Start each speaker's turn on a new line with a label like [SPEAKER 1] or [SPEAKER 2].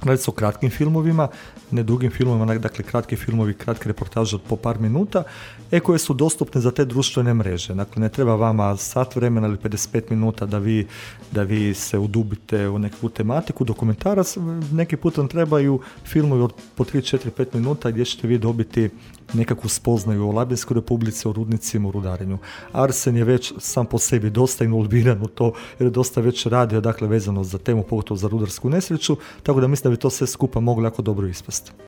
[SPEAKER 1] Radi se o kratkim filmovima, ne dugim filmovima, dakle kratki filmovi, kratke reportaže od po par minuta, koje su dostupne za te društvene mreže. Dakle, ne treba vama sat vremena ili 55 minuta da vi se udubite u neku tematiku. Dokumentarac, neki put vam trebaju filmovi od po 3, 4, 5 minuta gdje ćete vi dobiti nekakvu spoznaju o Labinskoj republici, o rudnicima, o rudarenju. Arsen je već sam po sebi dosta involviran u to, jer je dosta već radio, dakle, vezano za temu, pogotovo za rudarsku nesreću, tako da mislim da bi to sve skupa moglo jako dobro ispasti.